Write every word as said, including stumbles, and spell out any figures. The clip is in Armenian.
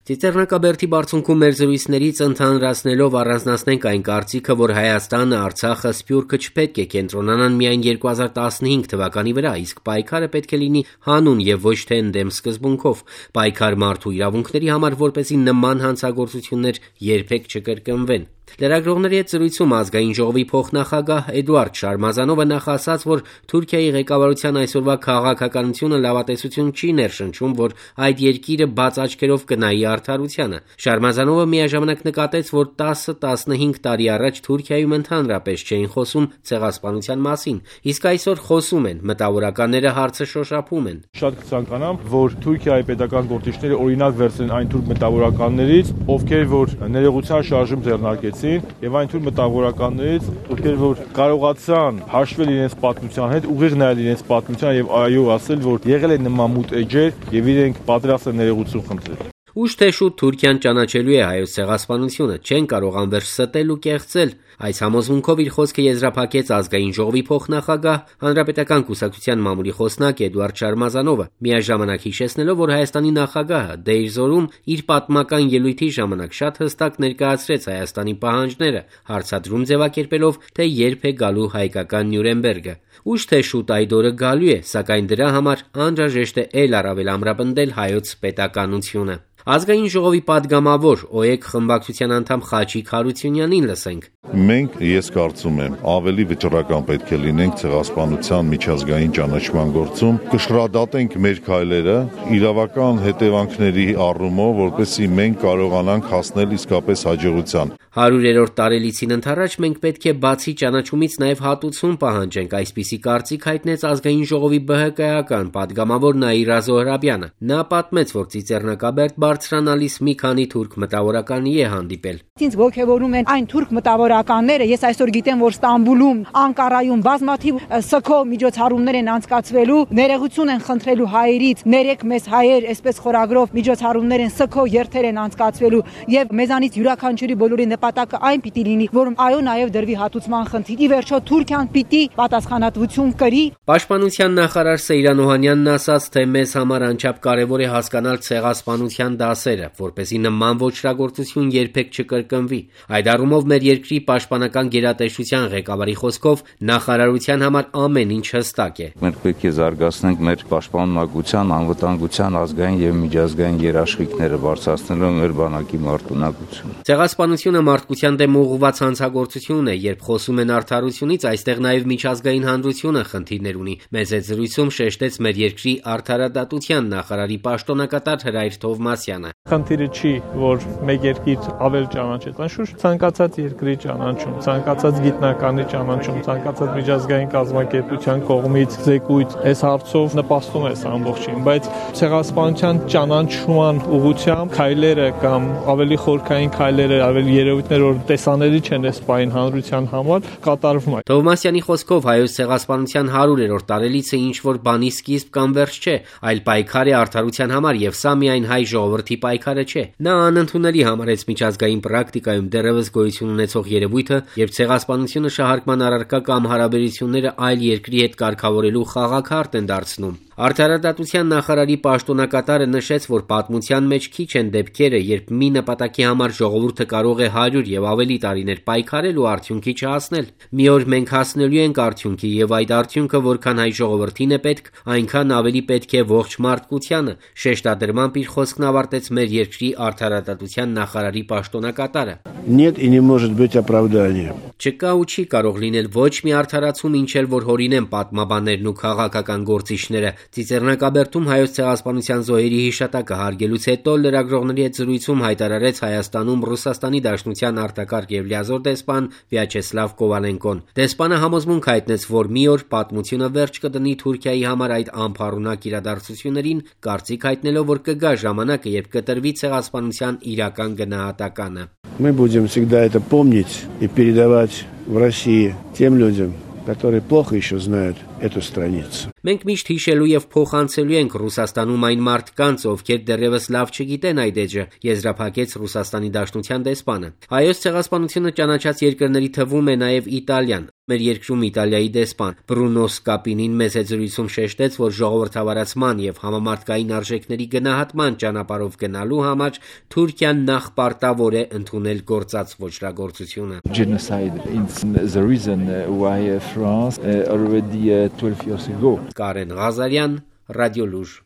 Ծիծեռնակաբերդի բարձունքում մեր զրույցներից ընդհանրացնելով առանձնացնենք այն կարծիքը, որ Հայաստանը, Արցախը, Սփյուռքը չպետք է կենտրոնանան միայն երկու հազար տասնհինգ թվականի վրա, իսկ պայքարը պետք է լինի հանուն եւ ոչ թե ընդդեմ սկզբունքով, պայքար մարդու իրավունքների համար, որպեսզի նման հանցագործություններ երբեք չկրկնվեն։ Լրագրողների հետ զրույցում Ազգային ժողովի փոխնախագահ Էդուարդ Շարմազանովը նախ ասաց, որ Թուրքիայի ղեկավարության այսօրվա քաղաքականությունը լավատեսություն չի ներշնչում, որ այդ երկիրը բաց աչքերով կնայի արդարությանը։ Շարմազանովը միաժամանակ նկատեց, որ տասը տասնհինգ տարի առաջ Թուրքիայում ընդհանրապես չէին խոսում ցեղասպանության մասին, իսկ այսօր խոսում են, մտավորականները հարցը շոշափում են։ Շատ կցանկանամ, որ Թուրքիայի պետական գործիչները օրինակ վերցնեն այն թուրք մտավորականներից, ովքեր որ ներողության շարժում ձեռնարկեցին, եւ այն թուրք մտավորականներից, ովքեր որ կարողացան հաշվել իրենց պատմության հետ, ուղիղ նայել իրենց պատմության եւ այո ասել, որ եղել է նման մութ էջեր եւ իրենք պատրաստ են ներողություն խնդրել։ Ուշ թե շուտ Թուրքիան ճանաչելու է հայոց ցեղասպանությունը, չեն կարող անverջ ստել ու կեղծել։ Այս համոզմունքով իր խոսքը եզրափակեց Ազգային ժողովի փոխնախագահ, Հանրապետական կուսակցության մամուլի խոսնակ Էդուարդ Շարմազանովը, միաժամանակ հիշեցնելով, որ Հայաստանի նախագահը Դեյրզորում իր պատմական ելույթի ժամանակ շատ հստակ ներկայացրեց Հայաստանի պահանջները, հարցադրում ձևակերպելով, թե երբ է գալու հայկական Նյուրնբերգը։ Ուշ թե շուտ այդ օրը գալու է, սակայն դրա համար անհրաժեշտ է ել առավել ամրապնդել հայոց պետականությունը։ Ազգային ժողովի падգամավոր ՕԵԿ խմբակցության անդամ Խաչիկ Հարությունյանին լսենք։ Մենք, ես կարծում եմ, ավելի վճռական պետք է լինենք ցեղասպանության միջազգային ճանաչման գործում, կշռադատենք մեր քայլերը իրավական հետևանքների առումով, որպեսզի մենք կարողանանք հասնել իսկապես հաջողության։ հարյուրերորդ տարելիցին ընթരാճ մենք պետք է բացի ճանաչումից նաև հատուցում պահանջենք, այսպիսի կարծիք հայտնեց Ազգային ժողովի ԲՀԿ-ական падգամավոր Նաիրա Զոհրաբյանը։ Նա պատմեց, որ Ծիծեռնակաբերդ բարձրանալիս մի քանի թուրք մտավորականի է հանդիպել։ Ինձ ողջևորում են այն թուրք մտավորականները, ես այսօր գիտեմ, որ Ստամբուլում, Անկարայում բազմաթիվ սքո միջոցառումներ են անցկացվելու, ներողություն են խնդրելու հայերից, ներեք մեզ հայեր, այսպես խորագրով միջոցառումներ են, սքո երթեր են անցկացվելու եւ մեզանից յուրաքանչյուրի բոլորի նպատակը այն պիտի լինի, որ այո նաև դրվի հատուցման խնդիր։ Ի վերջո Թուրքիան պիտի պատասխանատվություն կրի։ Պաշտպանության նախարար Սեյրան Օհանյանն ասաց, թե մեզ համար անչափ կարևոր է հասկանալ ցեղասպանության դասերը, որպեսզի նման ոճրագործություն երբեք չկրկնվի։ Այդ առումով մեր երկրի պաշտպանական գերատեսչության ղեկավարի խոսքով նախարարության համար ամեն ինչ հստակ է։ Մենք պետք է զարգացնենք մեր պաշտպանողության, անվտանգության ազգային եւ միջազգային երաշխիքները, բարձրացնելով մեր բանակի մարտունակությունը։ Ցեղասպանությունը մարդկության դեմ ուղղված հանցագործություն է, երբ խոսում են արդարությունից, այստեղ նաև միջազգային հանրությունը խնդիրներ ունի։ Մեծ այդ զրույցում շեշտեց մեր երկրի արդարադատության նախարարի պաշտոնակատար Հրայր Թովմասյանը։ Խնդիրը չի, որ մեկ երկիր ավել ճանաչեց, անշուշտ ցանկացած երկրի ճանաչում, ցանկացած գիտնականի ճանաչում, ցանկացած միջազգային կազմակերպության կողմից զեկույց այս հարցով նպաստում է ամբողջին, բայց ցեղասպանության ճանաչման ուղղությամբ քայլերը կամ ավելի խորքային քայլերը, ավելի երևույթներ, որ տեսանելի չեն այս պահին հանրության համար, կատարվում է։ Թովմասյանի խոսքով հայոց ցեղասպանության հարյուրերորդ տարելիցը ինչ որ բանի սկիզբ կամ վերջ չէ, այլ պայքար է արդարության համար եւ սա միայն հայ ժողովրդի պայքարը չէ։ Նա անընդունելի համարեց միջազգային պրակտիկայում դեռևս գոյություն ունեցող երևույթը, երբ ցեղասպանությունը շահարկման առարկա կամ հարաբերությունները այլ երկրի հետ կարգավորելու խաղաքարտ են դարձնում։ Արդարադատության նախարարի պաշտոնակատարը նշեց, որ պատմության մեջ քիչ են դեպքերը, երբ մի նպատակի համար ժողովուրդը կարող է հարյուր եւ ավելի տարիներ պայքարել ու արդյունքի չհասնել։ Մի օր մենք հասնելու ենք արդյունքի եւ այդ արդյունքը որքան հայ ժողովրդին է պետք, այնքան ավելի պետք է ողջ մարդկությանը, շեշտադրմամբ իր խոսքն ավարտեց մեր երկրի արդարադատության նախարարի պաշտոնակատարը։ Нет и не может быть оправдания. Չկա ու չի կարող լինել ոչ մի արդարացում, ինչ էլ որ հորինեն պատմաբաններն ու քաղաքական գործիչները։ Ծիծեռնակաբերդում հայոց ցեղասպանության զոհերի հիշատակը հարգելուց հետո լրագրողների հետ զրույցում հայտարարեց Հայաստանում Ռուսաստանի Դաշնության արտակարգ եւ լիազոր դեսպան Վյաչեսլավ Կովալենկոն։ Դեսպանը համոզմունք հայտնեց, որ մի օր պատմությունը վերջ կդնի Թուրքիայի համար այդ անփառունակ իրադարձություններին, կարծիք հայտնելով, որ կգա ժամանակը, երբ կտրվի ցեղասպանության իրական գնահատականը։ Мы будем всегда это помнить и передавать в России тем людям, которые плохо еще знают эту страницу. Մենք միշտ հիշելու եւ փոխանցելու ենք Ռուսաստանում այն մարդկանց, ովքեր դեռևս լավ չգիտեն այդ էջը, եզրափակեց Ռուսաստանի Դաշնության դեսպանը։ Հայոց ցեղասպանությունը ճանաչած երկրների թվում է նաեւ Իտալիան։ Մեր երկրում Իտալիայի դեսպան Բրունո Սկապինին մեծ զրույցում շեշտեց, որ ժողովրդավարացման եւ համամարտկային արժեքների գնահատման ճանապարհով գնալու համար Թուրքիան նախ պարտավոր է ընդունել գործած ոճրագործությունը։ Genocide is the reason why France already twelve years ago. Կարեն Ղազարյան, Ռադիո Լուր։